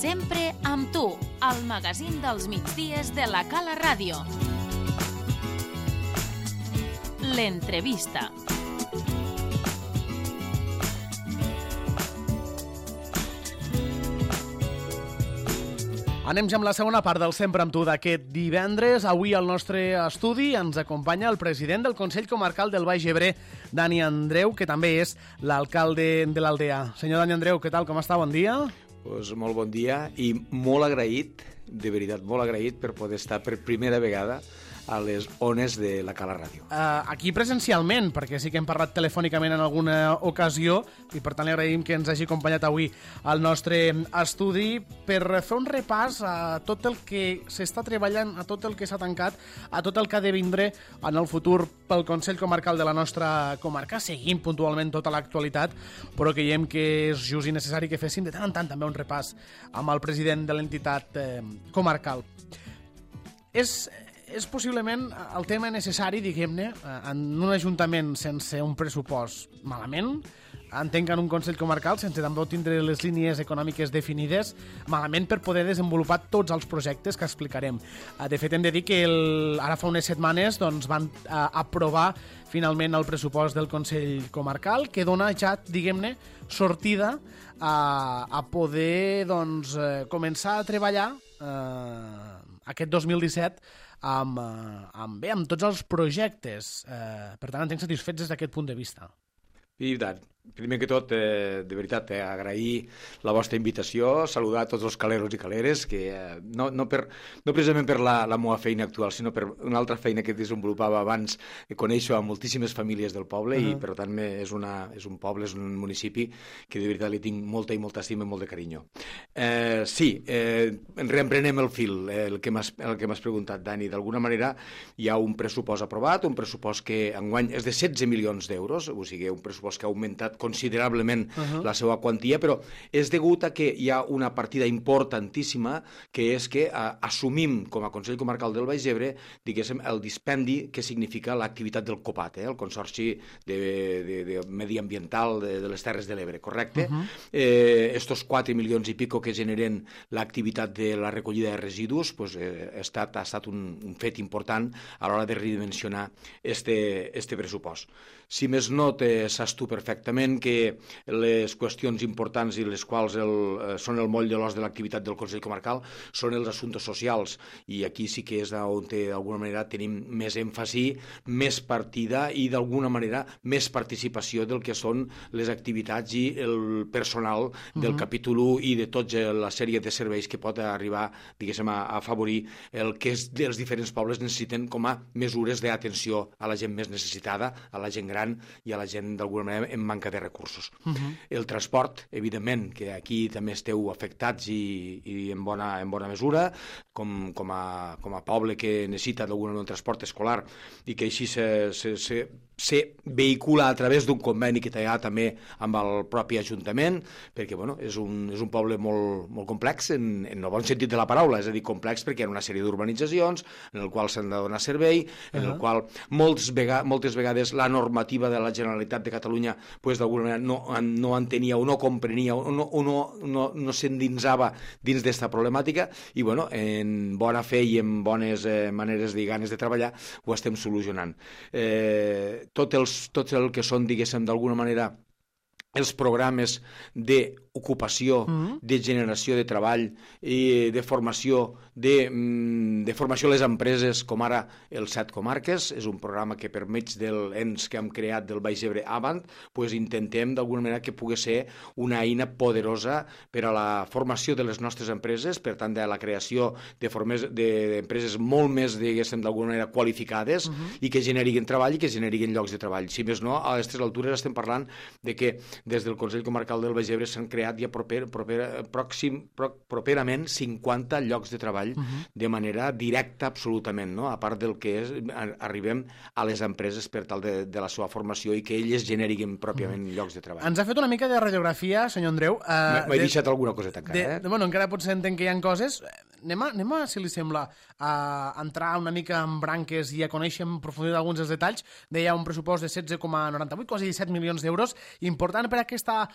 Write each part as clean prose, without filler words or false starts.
Sempre amb tu, al magazín dels migdies de la Cala Ràdio. L'entrevista. Anem ja amb la segona part del Sempre amb tu d'aquest divendres. Avui al nostre estudi ens acompanya el president del Consell Comarcal del Baix Ebre, Dani Andreu, que també és l'alcalde de l'Aldea. Senyor Dani Andreu, què tal? Com està? Bon dia. Pues molt bon dia i molt agraït, de veritat, molt agraït per poder estar per primera vegada a les ones de la Cala Ràdio. Aquí presencialment, perquè sí que hem parlat telefònicament en alguna ocasió i per tant li agraïm que ens hagi acompanyat avui al nostre estudi per fer un repàs a tot el que s'està treballant, a tot el que s'ha tancat, a tot el que ha de vindre en el futur pel Consell Comarcal de la nostra comarca. Seguim puntualment tota l'actualitat, però creiem que és just i necessari que féssim de tant en tant també un repàs amb el president de l'entitat comarcal. És possiblement el tema necessari, diguem-ne, en un ajuntament sense un pressupost malament, entenc que en un Consell Comarcal sense també tindre les línies econòmiques definides malament per poder desenvolupar tots els projectes que explicarem. De fet, hem de dir que ara fa unes setmanes van aprovar finalment el pressupost del Consell Comarcal, que dona ja, diguem-ne, sortida a poder començar a treballar aquest 2017 amb tots els projectes. Per tant, entenc satisfets des d'aquest punt de vista. I tant. Primer que tot, de veritat, agrair la vostra invitació, saludar tots els caleros i caleres, que no precisament per la meva feina actual, sinó per una altra feina que desenvolupava abans. Coneixo a moltíssimes famílies del poble i, per tant, és un poble, és un municipi que de veritat li tinc molta i molta estima i molt de carinyo. Sí, reemprenem el fil, el que m'has preguntat, Dani. D'alguna manera hi ha un pressupost aprovat, un pressupost que enguany és de 16 milions d'euros, o sigui, un pressupost que ha augmentat considerablement la seva quantia, però és degut a que hi ha una partida importantíssima, que és que assumim com a Consell Comarcal del Baix Ebre, diguéssim, el dispendi que significa l'activitat del COPAT, el Consorci de Mediambiental de les Terres de l'Ebre, correcte? Estos 4 milions i pico que generen l'activitat de la recollida de residus ha estat un fet important a l'hora de redimensionar este pressupost. Si més no, saps tu perfectament que les qüestions importants i les quals són el moll de l'os de l'activitat del Consell Comarcal són els assumptes socials, i aquí sí que és on d'alguna manera tenim més èmfasi, més partida i d'alguna manera més participació del que són les activitats i el personal del capítol 1 i de tota la sèrie de serveis que pot arribar, diguéssim, a afavorir el que els diferents pobles necessiten com a mesures d'atenció a la gent més necessitada, a la gent gran i a la gent d'alguna manera en manca de recursos. El transport, evidentment, que aquí també esteu afectats i en bona mesura, com a poble que necessita d'alguna manera un transport escolar i que així se vehicula a través d'un conveni que hi ha també amb el propi Ajuntament, perquè és un poble molt complex en el bon sentit de la paraula, és a dir, complex perquè hi ha una sèrie d'urbanitzacions en el qual s'han de donar servei, en el qual moltes vegades la normativa de la Generalitat de Catalunya d'alguna manera no entenia o no comprenia o no s'endinsava dins d'esta problemàtica i en bona fe i en bones maneres i ganes de treballar ho estem solucionant. Tot el que són, diguéssim, d'alguna manera els programes d'ocupació, de generació de treball i de formació a les empreses, com ara els 7 comarques, és un programa que per mig dels ens que hem creat del Baix Ebre Avant, intentem d'alguna manera que pugui ser una eina poderosa per a la formació de les nostres empreses, per tant de la creació d'empreses molt més, diguéssim, d'alguna manera qualificades i que generin treball i que generin llocs de treball. Si més no, a aquestes altures estem parlant de que des del Consell Comarcal del Baix Ebre s'han creat ja properament 50 llocs de treball de manera directa absolutament, no? A part del que arribem a les empreses per tal de la seva formació i que elles generin pròpiament llocs de treball. Ens ha fet una mica de radiografia, senyor Andreu. M'he deixat alguna coseta encara, Encara potser entenc que hi ha coses. anem a, si li sembla, a entrar una mica en branques i a conèixer en profunditat alguns dels detalls. Deia un pressupost de 16,98, quasi 17 milions d'euros, important per aquesta,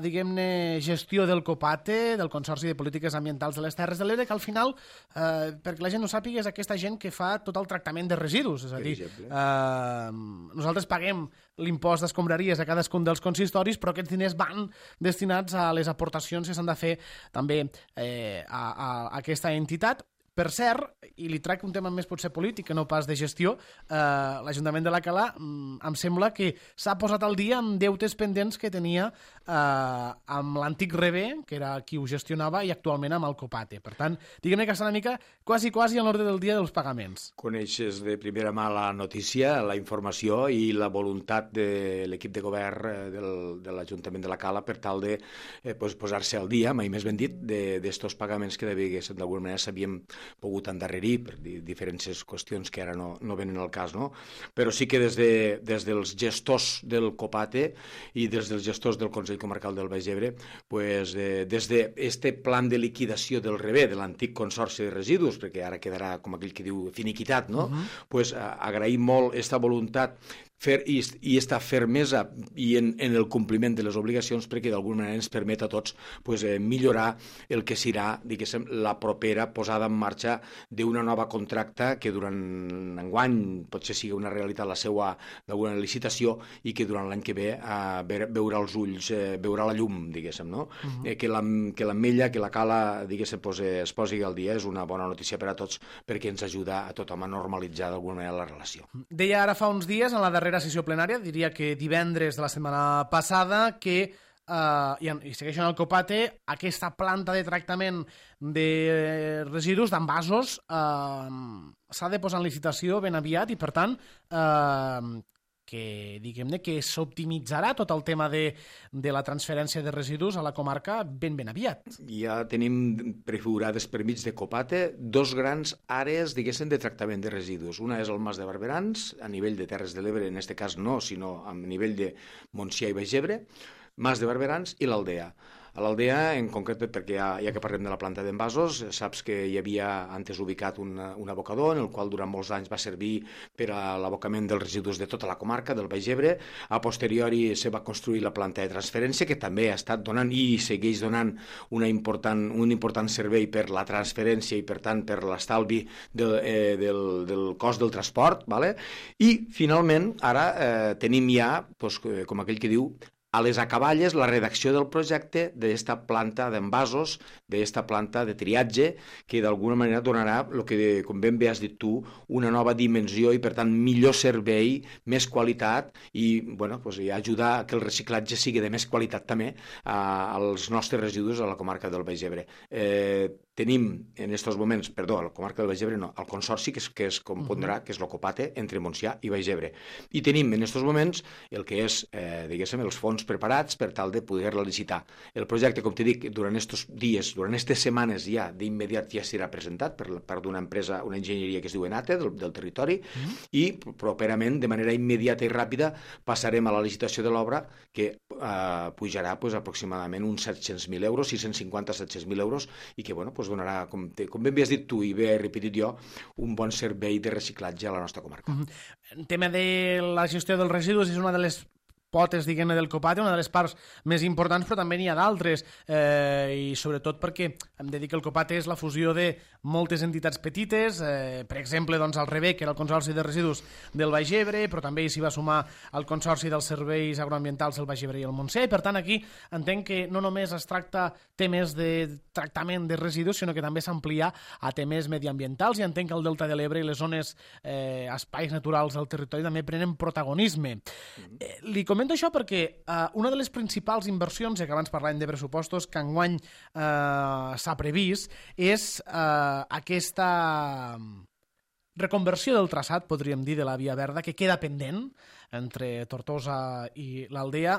diguem-ne, gestió del COPATE, del Consorci de Polítiques Ambientals de les Terres de l'Ebre, que al final, perquè la gent no sàpiga, és aquesta gent que fa tot el tractament de residus. És a dir, nosaltres paguem l'impost d'escombraries a cadascun dels consistoris, però aquests diners van destinats a les aportacions que s'han de fer també a aquesta entitat. Per cert, i li trec un tema més potser polític que no pas de gestió, l'Ajuntament de la Cala em sembla que s'ha posat al dia amb deutes pendents que tenia amb l'antic Rebé, que era qui ho gestionava, i actualment amb el COPATE. Per tant, diguem-ne que està una mica quasi a l'ordre del dia dels pagaments. Coneixes de primera mà la notícia, la informació i la voluntat de l'equip de govern de l'Ajuntament de la Cala per tal de posar-se al dia, mai més ben dit, d'estos pagaments que d'alguna manera s'havien pogut endarrerir per diferents qüestions que ara no venen al cas, no? Però sí que des dels gestors del COPATE i des dels gestors del Consell Comarcal del Baix Ebre, des d'aquest plan de liquidació del Rebé, de l'antic Consorci de Residus, perquè ara quedarà, com aquell que diu, finiquitat, no? Agraïm molt aquesta voluntat i esta fermesa i en el compliment de les obligacions, perquè d'alguna manera ens permet a tots millorar el que serà, diguéssim, la propera posada en marxa d'una nova contracta que durant enguany potser sigui una realitat la seva d'alguna licitació i que durant l'any que ve veurà els ulls, veurà la llum, diguéssim, no? Que l'Ametlla, que la Cala, diguéssim, es posi al dia és una bona notícia per a tots perquè ens ajuda a tothom a normalitzar d'alguna manera la relació. Deia ara fa uns dies, en la darrera sessió plenària, diria que divendres de la setmana passada, que i segueixen el COPATE, aquesta planta de tractament de residus, d'envasos, s'ha de posar en licitació ben aviat i, per tant, que diguem-ne que s'optimitzarà tot el tema de la transferència de residus a la comarca ben aviat. Ja tenim prefigurades per mig de COPATE dos grans àrees, diguéssim, de tractament de residus. Una és el Mas de Barberans, a nivell de Terres de l'Ebre, en aquest cas no, sinó a nivell de Montsià i Baix Ebre, Mas de Barberans i l'Aldea. A l'Aldea, en concret, perquè ja que parlem de la planta d'envasos, saps que hi havia antes ubicat un abocador en el qual durant molts anys va servir per a l'abocament dels residus de tota la comarca del Baix Ebre. A posteriori se va construir la planta de transferència, que també ha estat donant i segueix donant un important servei per la transferència i, per tant, per l'estalvi del cost del transport. I, finalment, ara tenim ja, com aquell que diu, a les acaballes la redacció del projecte d'esta planta d'envasos, d'esta planta de triatge, que d'alguna manera donarà, el que, com ben bé has dit tu, una nova dimensió i, per tant, millor servei, més qualitat i ajudar a que el reciclatge sigui de més qualitat també als nostres residus a la comarca del Baix Ebre. Tenim en aquests moments, a la comarca del Baix Ebre no, el consorci que es compondrà, que és el COPATE, entre Montsià i Baix Ebre. I tenim en aquests moments el que és, diguéssim, els fons preparats per tal de poder-la licitar. El projecte, com t'he dit, durant aquests dies, durant aquestes setmanes ja, d'immediat ja serà presentat per part d'una empresa, una enginyeria que es diu ENATE, del territori, i properament, de manera immediata i ràpida, passarem a la licitació de l'obra, que pujarà aproximadament uns 700.000 euros, 650-700.000 euros, i que donarà, com ben bé has dit tu i bé he repetit jo, un bon servei de reciclatge a la nostra comarca. El tema de la gestió dels residus és una de les potes, diguem-ne, del COPATE, una de les parts més importants, però també n'hi ha d'altres, i sobretot perquè hem de dir que el COPATE és la fusió de moltes entitats petites, per exemple, doncs, el Rebé, que era el Consorci de Residus del Baix Ebre, però també s'hi va sumar el Consorci dels Serveis Agroambientals del Baix Ebre i el Montsià, i per tant aquí entenc que no només es tracta temes de tractament de residus, sinó que també s'amplia a temes mediambientals, i entenc que el Delta de l'Ebre i les zones, espais naturals del territori també prenen protagonisme. Li comento això perquè una de les principals inversions, ja que abans parlàvem de pressupostos, que enguany s'ha previst, és aquesta reconversió del traçat, podríem dir, de la Via Verda, que queda pendent entre Tortosa i l'Aldea,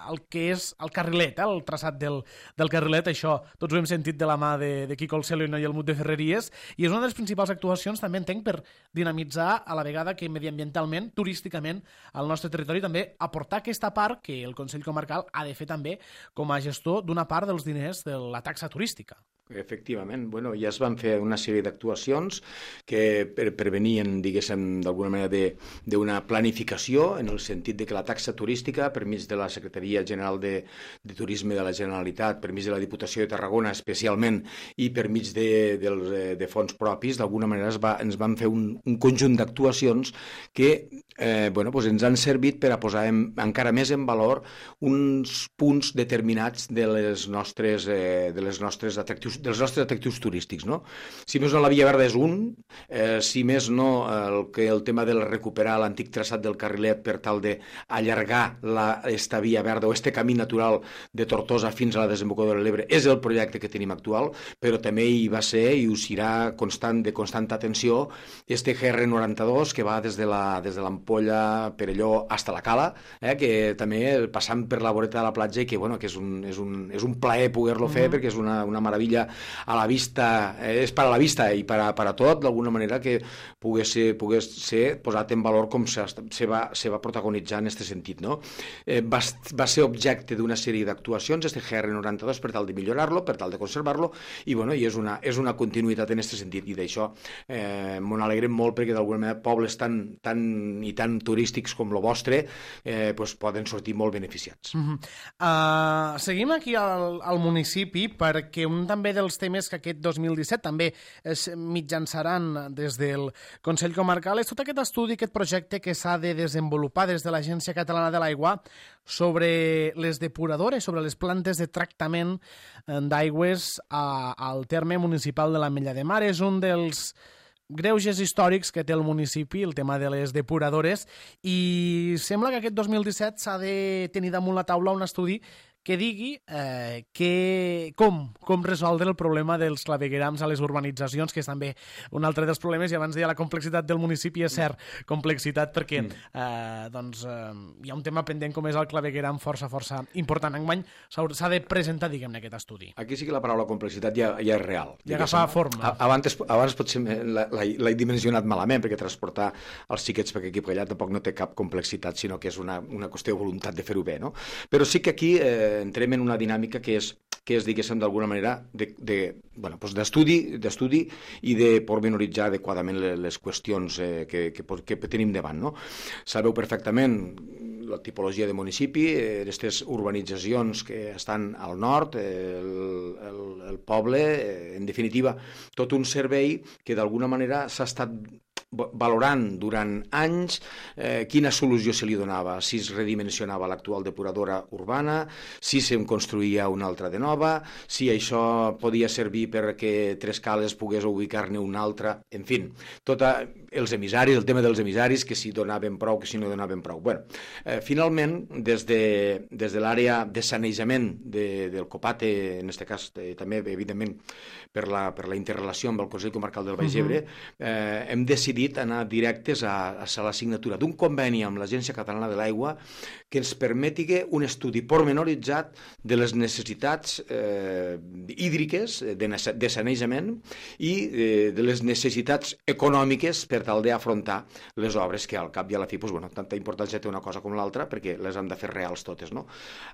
el que és el carrilet, el traçat del carrilet. Això tots ho hem sentit de la mà de Quico Alcelo i Noia Almut de Ferreries, i és una de les principals actuacions, també entenc, per dinamitzar a la vegada que mediambientalment, turísticament, al nostre territori, també aportar aquesta part que el Consell Comarcal ha de fer també com a gestor d'una part dels diners de la taxa turística. Efectivament. Bueno, ja es van fer una sèrie d'actuacions que prevenien, diguéssim, d'alguna manera d'una planificació en el sentit de que la taxa turística, per mig de la Secretaria General de Turisme de la Generalitat, per mig de la Diputació de Tarragona especialment i per mig de fons propis, d'alguna manera ens van fer un conjunt d'actuacions que ens han servit per a posar encara més en valor uns punts determinats dels nostres atractius turístics, no? Si més no, la Via Verda és un, si més no, el tema de recuperar l'antic traçat del carrilet per tal d'allargar esta Via Verda o este camí natural de Tortosa fins a la desembocadura de l'Ebre és el projecte que tenim actual, però també hi va ser i ho serà de constant atenció este GR92 que va des de l'Ampolla, Perelló, hasta la Cala, que també passant per la voreta de la platja i que és un plaer poder-lo fer perquè és una meravella a la vista, és per a la vista i per a tot, d'alguna manera que pogués ser posat en valor com se va protagonitzar en aquest sentit, no? Va ser objecte d'una sèrie d'actuacions, este GR92, per tal de millorar-lo, per tal de conservar-lo, i és una continuïtat en aquest sentit, i d'això m'ho alegrem molt perquè d'alguna manera pobles tan turístics com el vostre poden sortir molt beneficiats. Seguim aquí al municipi perquè un també dels temes que aquest 2017 també es mitjançaran des del Consell Comarcal és tot aquest estudi, aquest projecte que s'ha de desenvolupar des de l'Agència Catalana de l'Aigua sobre les depuradores, sobre les plantes de tractament d'aigües al terme municipal de l'Ametlla de Mar. És un dels greuges històrics que té el municipi, el tema de les depuradores, i sembla que aquest 2017 s'ha de tenir damunt la taula un estudi que digui com resoldre el problema dels claveguerams a les urbanitzacions, que és també un altre dels problemes, i abans deia la complexitat del municipi, és cert, complexitat, perquè hi ha un tema pendent com és el clavegueram força important. Enguany s'ha de presentar, diguem-ne, aquest estudi. Aquí sí que la paraula complexitat ja és real. Ja agafa forma. Abans potser l'he dimensionat malament, perquè transportar els xiquets per aquí per allà tampoc no té cap complexitat, sinó que és una qüestió de voluntat de fer-ho bé, no? Però sí que aquí entrem en una dinàmica que és diguéssim, d'alguna manera, d'estudi i de pormenoritzar adequadament les qüestions que tenim davant, no? Sabeu perfectament la tipologia de municipi, aquestes urbanitzacions que estan al nord, el poble, en definitiva, tot un servei que d'alguna manera s'ha estat valorant durant anys quina solució se li donava, si es redimensionava l'actual depuradora urbana, si se'n construïa una altra de nova, si això podia servir perquè Trescales pogués ubicar-ne una altra, en fi, els emissaris, el tema dels emissaris, que si donaven prou, que si no donaven prou. Finalment, des de l'àrea de sanejament del Copate, en aquest cas també, evidentment, per la interrelació amb el Consell Comarcal del Baix Ebre, hem decidit anar directes a la signatura d'un conveni amb l'Agència Catalana de l'Aigua que ens permeti un estudi pormenoritzat de les necessitats hídriques, de sanejament i de les necessitats econòmiques per tal d'afrontar les obres que al cap i a la fi, tanta importància té una cosa com l'altra perquè les hem de fer reals totes, no?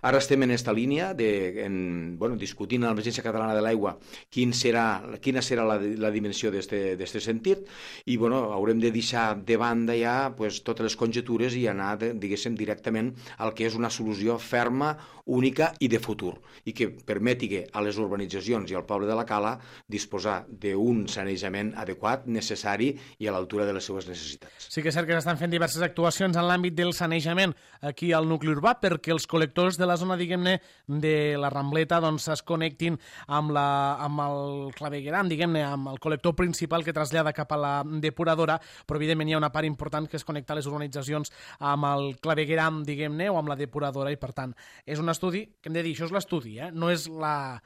Ara estem en aquesta línia discutint amb l'Agència Catalana de l'Aigua quina serà la dimensió d'aquest sentit i haurem de deixar de banda ja totes les conjetures i anar, diguéssim, directament al que és una solució ferma, única i de futur, i que permeti a les urbanitzacions i al poble de la Cala disposar d'un sanejament adequat, necessari i a l'altura de les seves necessitats. Sí que és cert que s'estan fent diverses actuacions en l'àmbit del sanejament aquí al nucli urbà perquè els col·lectors de la zona, diguem-ne, de la Rambleta es connectin amb el clavegueram, diguem-ne, amb el col·lector principal que trasllada cap a la depuradora, però evidentment hi ha una part important que és connectar les urbanitzacions amb el clavegueram, diguem-ne, o amb la depuradora, i per tant és un estudi, que hem de dir, això és l'estudi, no és la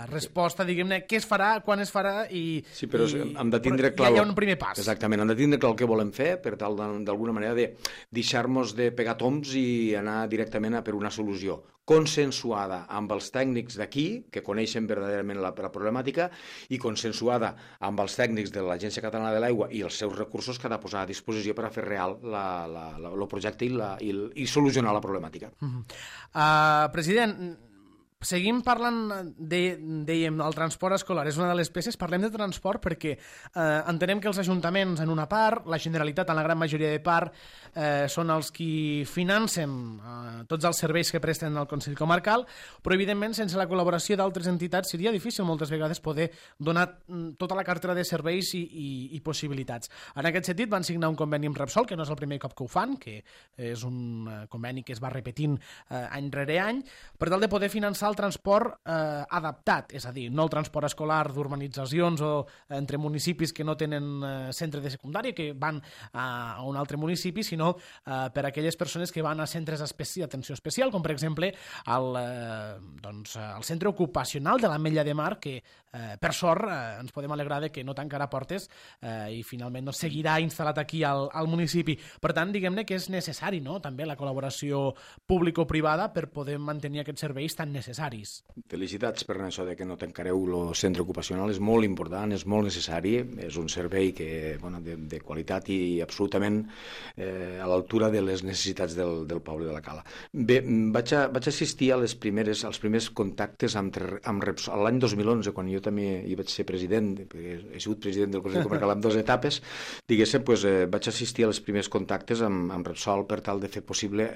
resposta, diguem-ne, què es farà, quan es farà i... Sí, però hem de tindre clar... Ja hi ha un primer pas. Exactament, hem de tindre clar el que volem fer per tal, d'alguna manera, de deixar-nos de pegar toms i anar directament a per una solució consensuada amb els tècnics d'aquí, que coneixen verdaderament la problemàtica, i consensuada amb els tècnics de l'Agència Catalana de l'Aigua i els seus recursos que ha de posar a disposició per a fer real el projecte i solucionar la problemàtica. President, Seguim parlant, dèiem, el transport escolar és una de les peces. Parlem de transport perquè entenem que els ajuntaments, en una part, la Generalitat, en la gran majoria de part, són els qui financen tots els serveis que presten al Consell Comarcal, però, evidentment, sense la col·laboració d'altres entitats seria difícil moltes vegades poder donar tota la cartera de serveis i possibilitats. En aquest sentit, van signar un conveni amb Repsol, que no és el primer cop que ho fan, que és un conveni que es va repetint any rere any, per tal de poder finançar el transport adaptat, és a dir, no el transport escolar d'urbanitzacions o entre municipis que no tenen centre de secundària, que van a un altre municipi, sinó per a aquelles persones que van a centres d'atenció especial, com per exemple el centre ocupacional de l'Ametlla de Mar, que per sort ens podem alegrar de que no tancarà portes i finalment no seguirà instal·lat aquí al municipi. Per tant, diguem-ne que és necessari, no?, també la col·laboració público-privada per poder mantenir aquests serveis tan necessaris. Felicitats per això de que no tancareu el centre ocupacional, és molt important, és molt necessari, és un servei que, de qualitat i absolutament a l'altura de les necessitats del poble de la Cala. Bé, vaig assistir als primers contactes amb Repsol l'any 2011, quan jo també hi vaig ser president, perquè he sigut president del Consell Comarcal en 2 etapes, diguéssim, vaig assistir als primers contactes amb Repsol per tal de fer possible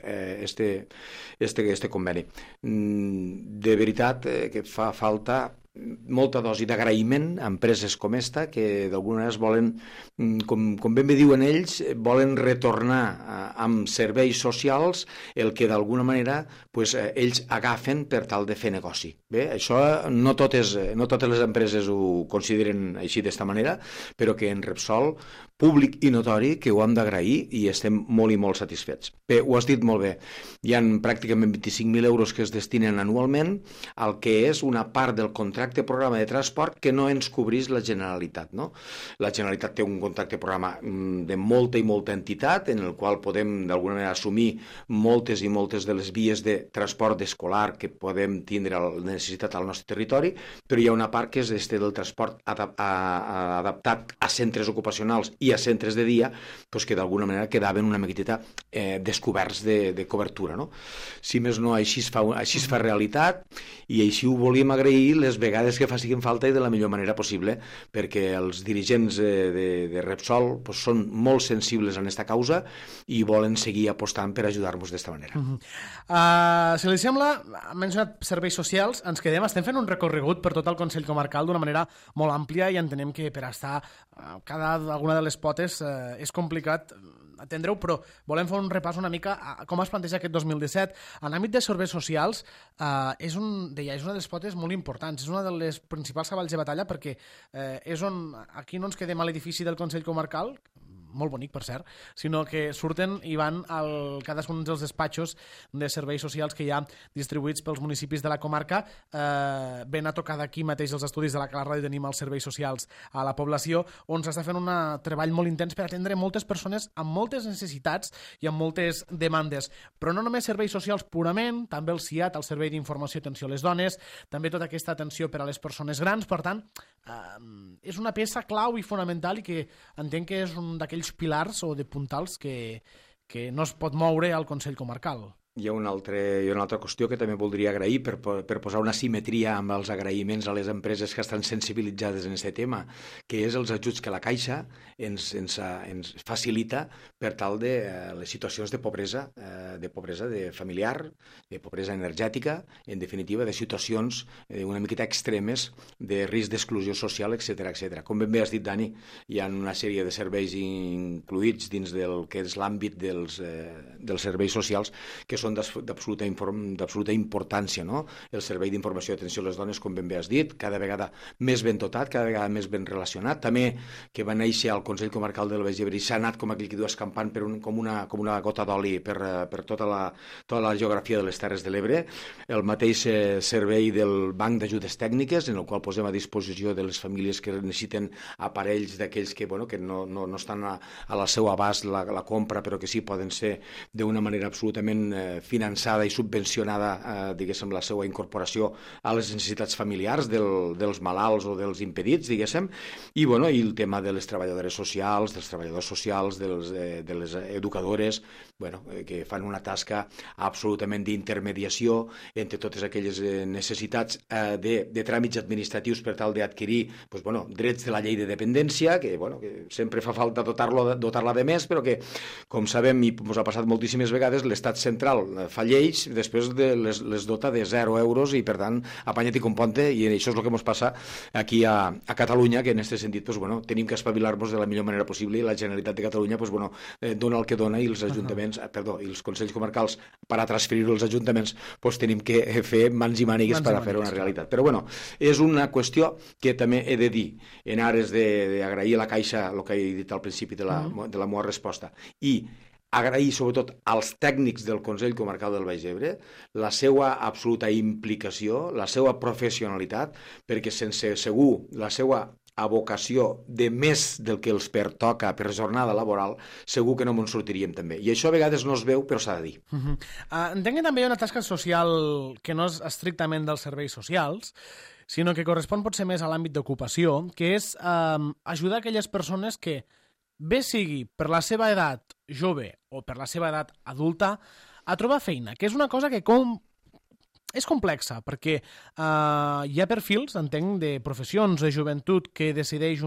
este conveni. De veritat que fa falta molta dosi d'agraïment a empreses com esta, que d'alguna manera volen, com ben bé diuen ells, volen retornar amb serveis socials el que d'alguna manera ells agafen per tal de fer negoci. Bé, això no totes les empreses ho consideren així d'esta manera, però que en Repsol, públic i notori, que ho hem d'agrair i estem molt i molt satisfets. Bé, ho has dit molt bé. Hi ha pràcticament 25.000 euros que es destinen anualment al que és una part del contracte programa de transport que no ens cobrís la Generalitat, no? La Generalitat té un contracte programa de molta i molta entitat en el qual podem d'alguna manera assumir moltes i moltes de les vies de transport escolar que podem tindre necessitat al nostre territori, però hi ha una part que és del transport adaptat a centres ocupacionals i a centres de dia, que d'alguna manera quedaven una miqueta descoberts de cobertura, no? Si més no, així es fa realitat i així ho volíem agrair les vegades que facin falta i de la millor manera possible, perquè els dirigents de Repsol són molt sensibles en aquesta causa i volen seguir apostant per ajudar-nos d'esta manera. Si li sembla, ha mencionat serveis socials, ens quedem, estem fent un recorregut per tot el Consell Comarcal d'una manera molt àmplia i entenem que per estar alguna de les potes és complicat atendre-ho, però volem fer un repàs una mica a com es planteja aquest 2017. En l'àmbit de serveis socials és una de les potes molt importants, és una de les principals cavalls de batalla perquè és on aquí no ens quedem a l'edifici del Consell Comarcal, molt bonic, per cert, sinó que surten i van a cadascun dels despatxos de serveis socials que hi ha distribuïts pels municipis de la comarca. Ben a tocar d'aquí mateix els estudis de la Cala Ràdio tenim els serveis socials a la població, on s'està fent un treball molt intens per atendre moltes persones amb moltes necessitats i amb moltes demandes. Però no només serveis socials purament, també el CIAT, el Servei d'Informació i Atenció a les Dones, també tota aquesta atenció per a les persones grans. Per tant, és una peça clau i fonamental i que entenc que és un d'aquells pilars o de puntals que no es pot moure al Consell Comarcal. Hi ha una altra qüestió que també voldria agrair per posar una simetria amb els agraïments a les empreses que estan sensibilitzades en aquest tema, que és els ajuts que la Caixa ens facilita per tal de les situacions de pobresa de familiar, de pobresa energètica, en definitiva, de situacions una miqueta extremes de risc d'exclusió social, etc. Com ben bé has dit, Dani, hi ha una sèrie de serveis incluïts dins del que és l'àmbit dels serveis socials que són d'absoluta importància, no? El Servei d'Informació i Atenció a les Dones, com ben bé has dit, cada vegada més ben dotat, cada vegada més ben relacionat. També que va néixer al Consell Comarcal del Baix Ebre i s'ha anat, com aquell que diu, escampant com una gota d'oli per tota la geografia de les Terres de l'Ebre. El mateix servei del Banc d'Ajudes Tècniques, en el qual posem a disposició de les famílies que necessiten aparells d'aquells que no estan a la seu abast la compra, però que sí poden ser d'una manera absolutament finançada i subvencionada, diguéssim, la seva incorporació a les necessitats familiars dels malalts o dels impedits, diguéssim, i el tema de les treballadores socials, dels treballadors socials, de les educadores, que fan una tasca absolutament d'intermediació entre totes aquelles necessitats de tràmits administratius per tal d'adquirir drets de la llei de dependència, que sempre fa falta dotar-la de més, però que, com sabem, i ens ha passat moltíssimes vegades, l'estat central fa lleis, després les dota de 0 euros i, per tant, apanya't i componte, i això és el que ens passa aquí a Catalunya, que en aquest sentit tenim que espavilar-nos de la millor manera possible, i la Generalitat de Catalunya dona el que dona, i els ajuntaments, i els consells comarcals, per a transferir-ho als ajuntaments, tenim que fer mans i mànigues per a fer una realitat. Però és una qüestió que també he de dir, en ares d'agrair a la Caixa el que he dit al principi de la meva resposta, i agrair sobretot als tècnics del Consell Comarcal del Baix Ebre la seva absoluta implicació, la seva professionalitat, perquè sense segur la seva vocació de més del que els pertoca per jornada laboral, segur que no ens sortiríem també. I això a vegades no es veu, però s'ha de dir. Entenc que també hi ha una tasca social que no és estrictament dels serveis socials, sinó que correspon potser més a l'àmbit d'ocupació, que és ajudar aquelles persones que, bé sigui per la seva edat jove o per la seva edat adulta, a trobar feina, que és una cosa que és complexa, perquè hi ha perfils, entenc, de professions, de joventut, que decideix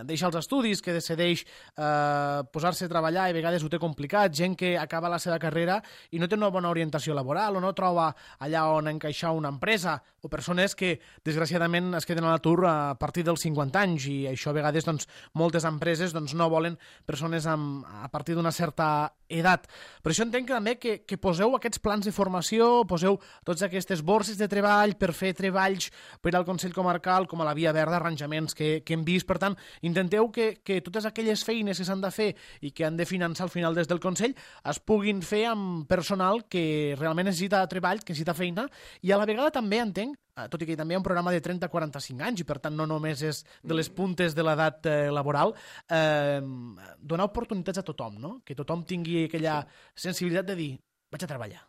deixar els estudis, que decideix posar-se a treballar i a vegades ho té complicat, gent que acaba la seva carrera i no té una bona orientació laboral o no troba allà on encaixar una empresa, o persones que, desgraciadament, es queden a l'atur a partir dels 50 anys, i això a vegades moltes empreses no volen persones a partir d'una certa edat. Per això entenc que també que poseu aquests plans de formació, poseu totes aquestes borses de treball per fer treballs per al Consell Comarcal, com a la Via Verda, arranjaments que hem vist. Per tant, intenteu que totes aquelles feines que s'han de fer i que han de finançar al final des del Consell es puguin fer amb personal que realment necessita treball, que necessita feina, i a la vegada també entenc, tot i que també hi ha un programa de 30 a 45 anys i per tant no només és de les puntes de l'edat laboral, donar oportunitats a tothom, no? Que tothom tingui aquella sensibilitat de dir, vaig a treballar.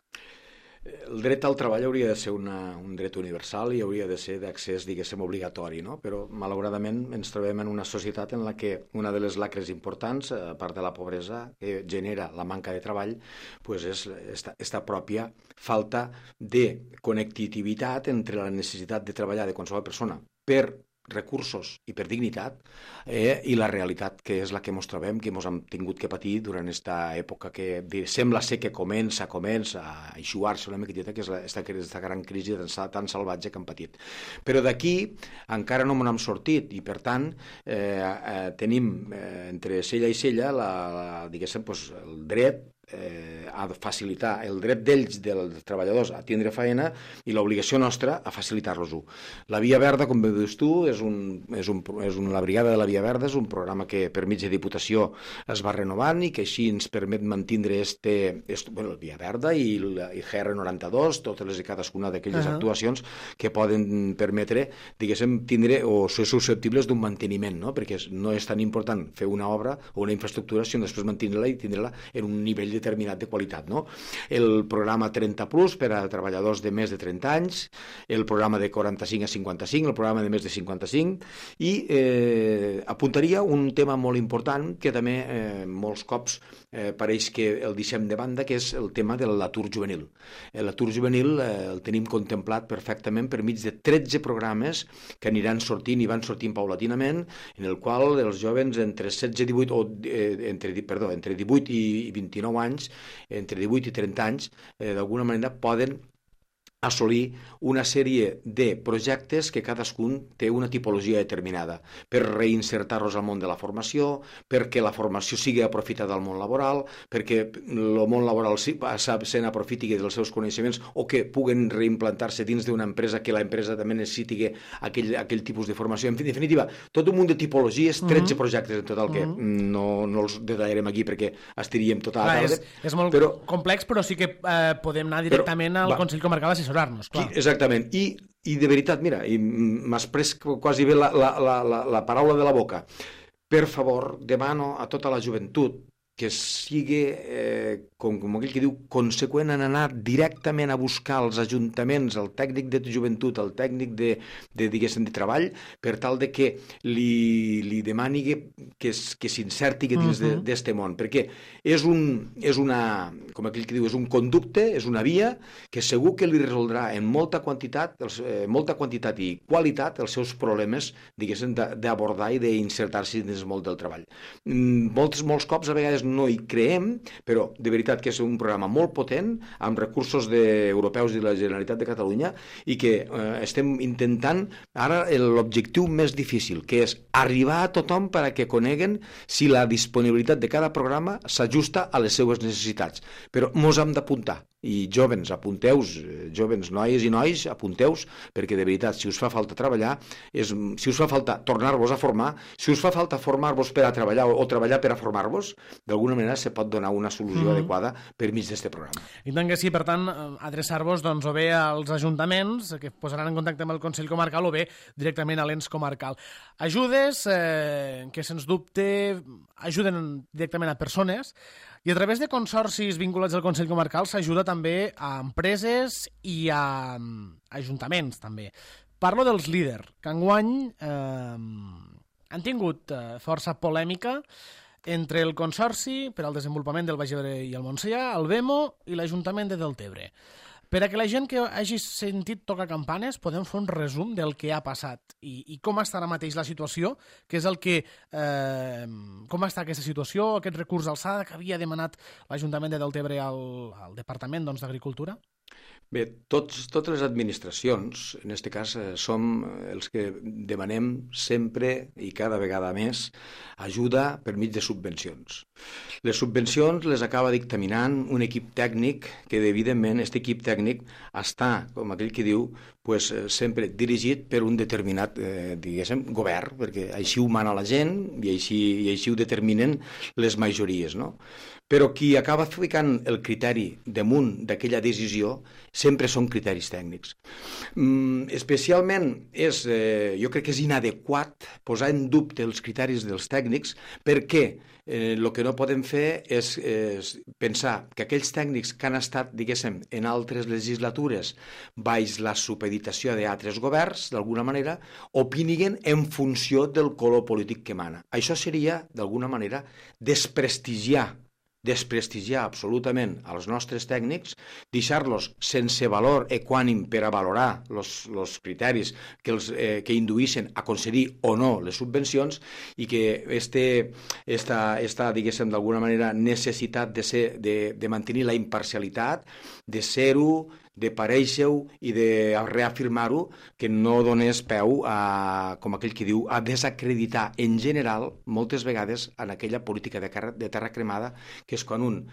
El dret al treball hauria de ser un dret universal i hauria de ser d'accés, diguéssim, obligatori, no? Però, malauradament, ens trobem en una societat en la que una de les lacres importants, a part de la pobresa que genera la manca de treball, és esta pròpia falta de connectivitat entre la necessitat de treballar de qualsevol persona per recursos i per dignitat i la realitat que és la que ens trobem, que ens hem tingut que patir durant aquesta època que sembla ser que comença a eixuar-se una miquetita, que és aquesta gran crisi tan salvatge que hem patit. Però d'aquí encara no m'hem sortit i per tant tenim entre cella i cella diguéssim, el dret a facilitar el dret d'ells, dels treballadors, a tindre feina i l'obligació nostra a facilitar-los-ho. La Via Verda, com bé dius tu, la Brigada de la Via Verda és un programa que per mitja Diputació es va renovant i que així ens permet mantindre el Via Verda i GR92, totes i cadascuna d'aquelles actuacions que poden permetre, diguéssim, tindre o ser susceptibles d'un manteniment, no? Perquè no és tan important fer una obra o una infraestructura, sinó després mantenir-la i tindre-la en un nivell determinat de qualitat, no? El programa 30 Plus per a treballadors de més de 30 anys, el programa de 45 a 55, el programa de més de 55, i apuntaria un tema molt important que també molts cops pareix que el deixem de banda, que és el tema de l'atur juvenil. L'atur juvenil el tenim contemplat perfectament per mig de 13 programes que aniran sortint i van sortint paulatinament, en el qual els jovens entre 18 i 29 anys, entre 18 i 30 anys, d'alguna manera poden assolir una sèrie de projectes que cadascun té una tipologia determinada per reinsertar-los al món de la formació, perquè la formació sigui aprofitada al món laboral, perquè el món laboral se n'aprofiti dels seus coneixements o que puguen reimplantar-se dins d'una empresa, que l'empresa també necessiti aquell tipus de formació. En definitiva, tot un munt de tipologies, 13 projectes en total, que no els detallarem aquí perquè estiríem tota la tarda. És molt complex, però sí que podem anar directament al Consell Comarcal a assessorar-nos, clar. Exactament, i de veritat, mira, m'has pres quasi bé la paraula de la boca. Per favor, demano a tota la joventut que sigui, com aquell que diu, conseqüent en anar directament a buscar els ajuntaments, el tècnic de joventut, el tècnic diguéssim, de treball, per tal de que li demani que s'inserti dins d'este món, perquè és una, com aquell que diu, és un conducte, és una via que segur que li resoldrà en molta quantitat i qualitat els seus problemes, diguéssim, d'abordar i d'insertar-se dins el món del treball. Molts cops, a vegades, no hi creem, però de veritat que és un programa molt potent, amb recursos europeus de la Generalitat de Catalunya, i que estem intentant ara l'objectiu més difícil, que és arribar a tothom perquè coneguen si la disponibilitat de cada programa s'ajusta a les seues necessitats. Però mos hem d'apuntar. I jóvens, apunteu-vos, jóvens, noies i nois, apunteu-vos, perquè de veritat, si us fa falta treballar, si us fa falta tornar-vos a formar, si us fa falta formar-vos per a treballar o treballar per a formar-vos, d'alguna manera se pot donar una solució adequada per mig d'aquest programa. I tant que sí, per tant, adreçar-vos o bé als ajuntaments, que posaran en contacte amb el Consell Comarcal, o bé directament a l'ens comarcal. Ajudes que, sens dubte, ajuden directament a persones, i a través de consorcis vinculats al Consell Comarcal s'ajuda també a empreses i a ajuntaments, també. Parlo dels líder, que enguany han tingut força polèmica entre el Consorci per al Desenvolupament del Baix Ebre i el Montsià, el BEMO i l'Ajuntament de Deltebre. Per a que la gent que hagi sentit tocar campanes podem fer un resum del que ha passat i com està ara mateix la situació, que és el que... com està aquesta situació, aquest recurs d'alçada que havia demanat l'Ajuntament de Deltebre al Departament d'Agricultura? Bé, totes les administracions, en aquest cas, som els que demanem sempre i cada vegada més ajuda per mig de subvencions. Les subvencions les acaba dictaminant un equip tècnic que, evidentment, aquest equip tècnic està, com aquell que diu, sempre dirigit per un determinat, diguéssim, govern, perquè així ho mana la gent i així ho determinen les majories, no? Però qui acaba ficant el criteri damunt d'aquella decisió sempre són criteris tècnics. Especialment jo crec que és inadequat posar en dubte els criteris dels tècnics perquè el que no podem fer és pensar que aquells tècnics que han estat, diguéssim, en altres legislatures baix la supeditació d'altres governs, d'alguna manera, opiniguen en funció del color polític que mana. Això seria, d'alguna manera, desprestigiar absolutament als nostres tècnics, deixar-los sense valor equànim per a valorar els criteris que induïssin a concedir o no les subvencions i que esta diguéssim, d'alguna manera, necessitat de mantenir la imparcialitat, de ser-ho, de parèixer-ho i de reafirmar-ho, que no donés peu a, com aquell que diu, a desacreditar en general, moltes vegades, en aquella política de terra cremada, que és quan un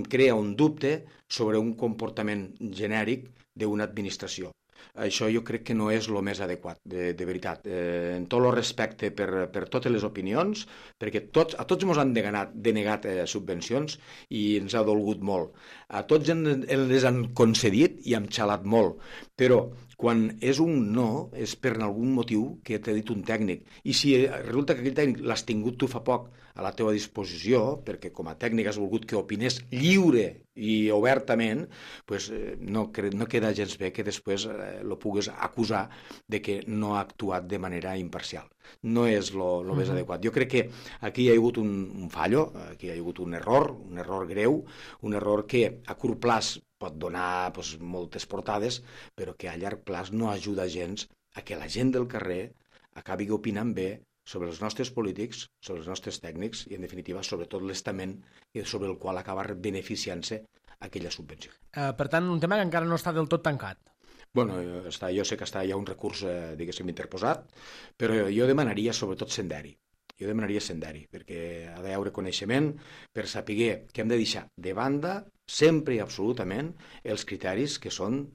crea un dubte sobre un comportament genèric d'una administració. Això jo crec que no és el més adequat, de veritat. En tot el respecte per totes les opinions, perquè a tots ens han denegat subvencions i ens ha dolgut molt. A tots les han concedit i hem xalat molt, però quan és un no és per algun motiu que t'ha dit un tècnic. I si resulta que aquell tècnic l'has tingut tu fa poc a la teva disposició, perquè com a tècnic has volgut que opinés lliure i obertament, doncs no queda gens bé que després lo pugues acusar de que no ha actuat de manera imparcial. No és el més adequat. Jo crec que aquí hi ha hagut un fallo, aquí hi ha hagut un error greu, un error que a curt plaç pot donar moltes portades, però que a llarg plaç no ajuda gens a que la gent del carrer acabi opinant bé sobre els nostres polítics, sobre els nostres tècnics i, en definitiva, sobre tot l'estament sobre el qual acaba beneficiant-se aquella subvenció. Per tant, un tema que encara no està del tot tancat. Bueno, jo sé que hi ha un recurs, diguéssim, interposat, però jo demanaria sobretot senderi. perquè ha d'haver coneixement per saber que hem de deixar de banda sempre i absolutament els criteris que són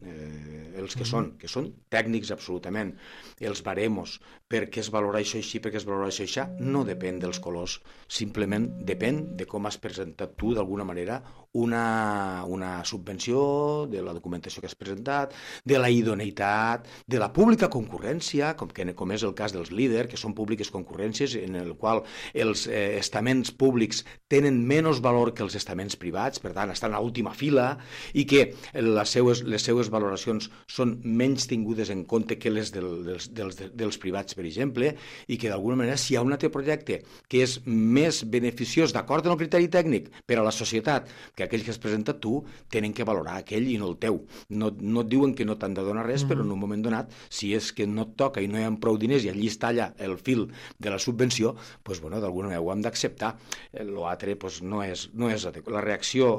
els que són tècnics absolutament, els baremos, per què es valora això així, per què es valora això així, no depèn dels colors, simplement depèn de com has presentat tu d'alguna manera una subvenció, de la documentació que has presentat, de la idoneïtat, de la pública concurrència, com és el cas dels líders, que són públiques concurrències en el qual els estaments públics tenen menys valor que els estaments privats, per tant, estan a última fila, i que les seues valoracions són menys tingudes en compte que les dels privats, per exemple, i que d'alguna manera, si hi ha un altre projecte que és més beneficiós d'acord amb el criteri tècnic per a la societat que aquell que has presentat tu, tenen que valorar aquell i no el teu. No et diuen que no t'han de donar res, però en un moment donat, si és que no et toca i no hi ha prou diners i allí es talla el fil de la subvenció, doncs, bueno, d'alguna manera ho hem d'acceptar. L'altre no és adequat. La reacció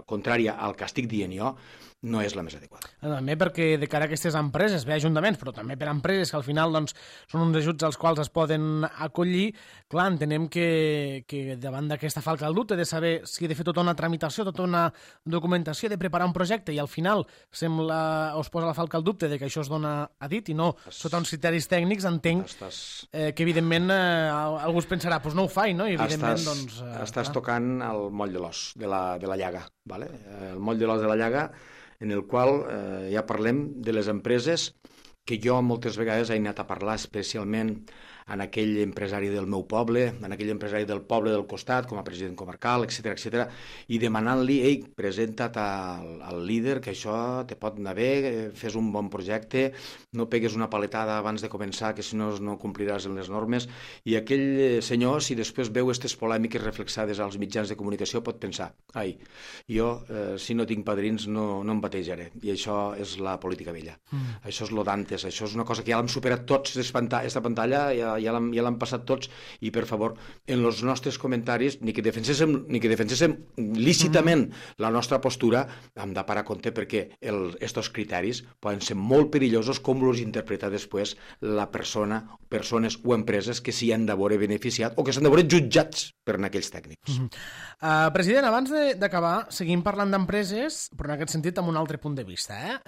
contrària al que estic dient jo no és la més adequada. També perquè de cara a aquestes empreses, bé, ajuntaments, però també per a empreses que al final doncs, són uns ajuts als quals es poden acollir, clar, entenem que davant d'aquesta falca del dubte de saber si he de fer tota una tramitació, tota una documentació, de preparar un projecte i al final us posa la falca al dubte de que això es dona a dit i no sota uns criteris tècnics, entenc que evidentment algú es pensarà, doncs no ho faig, no? I evidentment, estàs tocant el moll de l'os, de la llaga, ¿vale? El moll de l'os de la llaga en el qual ja parlem de les empreses que jo moltes vegades he anat a parlar especialment en aquell empresari del meu poble, en aquell empresari del poble del costat, com a president comarcal, etc, i demanant-li, ei, presenta't al líder, que això te pot anar bé, fes un bon projecte, no pegues una paletada abans de començar, que si no no compliràs en les normes, i aquell senyor, si després veu aquestes polèmiques reflexades als mitjans de comunicació, pot pensar, ai, jo, si no tinc padrins, no em batejaré, i això és la política vella. Això és lo d'antes, això és una cosa que ja l'hem superat tots, aquesta pantalla, ja l'han passat tots, i per favor, en els nostres comentaris, ni que defenséssim lícitament la nostra postura, hem de parar a compte perquè estos criteris poden ser molt perillosos com els interpreta després la persones o empreses que s'hi han de veure beneficiat o que s'han de veure jutjats per aquells tècnics. President, abans d'acabar, seguim parlant d'empreses, però en aquest sentit amb un altre punt de vista,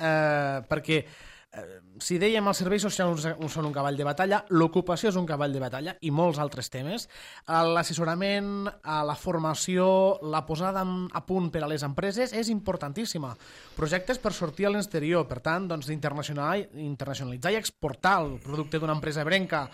perquè si dèiem els serveis socials són un cavall de batalla, l'ocupació és un cavall de batalla i molts altres temes, l'assessorament, la formació, la posada a punt per a les empreses és importantíssima. Projectes per sortir a l'exterior, per tant, doncs, internacionalitzar i exportar el producte d'una empresa ebrenca,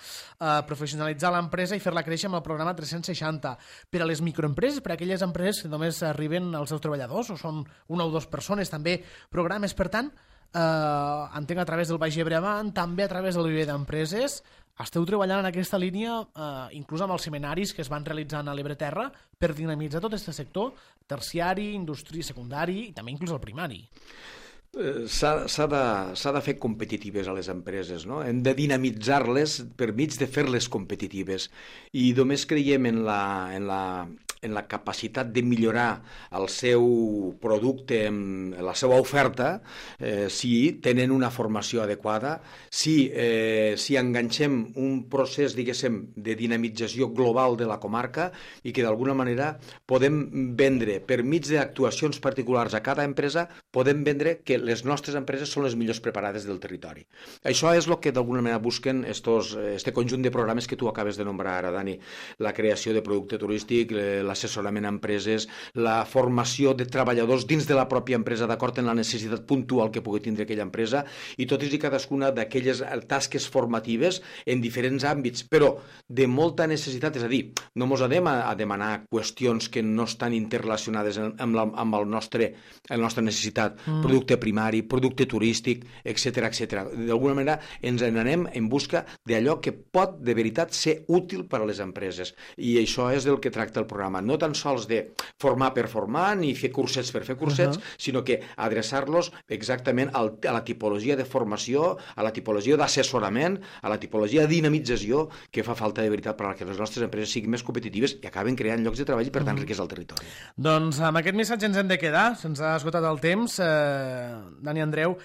professionalitzar l'empresa i fer-la créixer amb el programa 360. Per a les microempreses, per a aquelles empreses que només arriben als seus treballadors o són una o dues persones, també programes, per tant, entenc a través del Baix Ebre Avant, també a través del Viver d'Empreses, esteu treballant en aquesta línia, inclús amb els seminaris que es van realitzant a l'Ebre Terra, per dinamitzar tot aquest sector terciari, indústria, secundari i també inclús el primari. S'ha de fer competitives a les empreses, no? Hem de dinamitzar-les per mig de fer-les competitives, i només creiem en la capacitat de millorar el seu producte, la seva oferta, si tenen una formació adequada, si enganxem un procés, diguéssim, de dinamització global de la comarca i que d'alguna manera podem vendre, per mig d'actuacions particulars a cada empresa, podem vendre que les nostres empreses són les millors preparades del territori. Això és el que d'alguna manera busquen este conjunt de programes que tu acabes de nombrar ara, Dani. La creació de producte turístic, l'assessorament a empreses, la formació de treballadors dins de la pròpia empresa d'acord amb la necessitat puntual que pugui tindre aquella empresa, i totes i cadascuna d'aquelles tasques formatives en diferents àmbits, però de molta necessitat, és a dir, no ens anem a demanar qüestions que no estan interrelacionades amb la nostra necessitat, producte primari, producte turístic, etc. D'alguna manera ens n'anem en busca d'allò que pot de veritat ser útil per a les empreses, i això és del que tracta el programa, no tan sols de formar per formar ni fer cursets per fer cursets, sinó que adreçar-los exactament a la tipologia de formació, a la tipologia d'assessorament, a la tipologia de dinamització que fa falta de veritat per a que les nostres empreses siguin més competitives i acaben creant llocs de treball i per tant riquesa al territori. Doncs amb aquest missatge ens hem de quedar, se'ns ha esgotat el temps. Dani Andreu,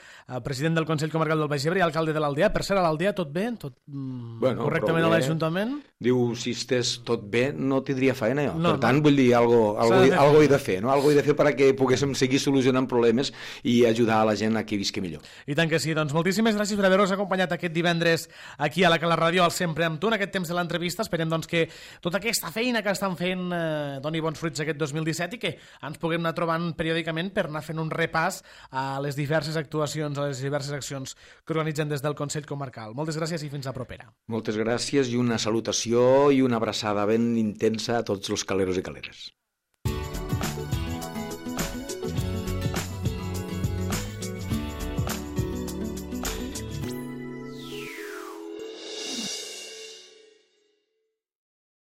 president del Consell Comarcal del Baix Ebre i alcalde de l'Aldea. Per cert, a l'Aldea tot bé? Tot correctament a l'Ajuntament? Diu, si estés tot bé, no tindria feina jo. No, Per tant, vull dir, algo he de fer, no? Algo he de fer perquè poguéssim seguir solucionant problemes i ajudar a la gent a que visqui millor. I tant que sí, doncs moltíssimes gràcies per haver-nos acompanyat aquest divendres aquí a la Cala Ràdio, al Sempre amb tu, en aquest temps de l'entrevista. Esperem doncs, que tota aquesta feina que estan fent doni bons fruits aquest 2017 i que ens puguem anar trobant periòdicament per anar fent un repàs a les diverses actuacions, a les diverses accions que organitzen des del Consell Comarcal. Moltes gràcies i fins a propera. Moltes gràcies i una salutació i una abraçada ben intensa a tots els caleros i caleres.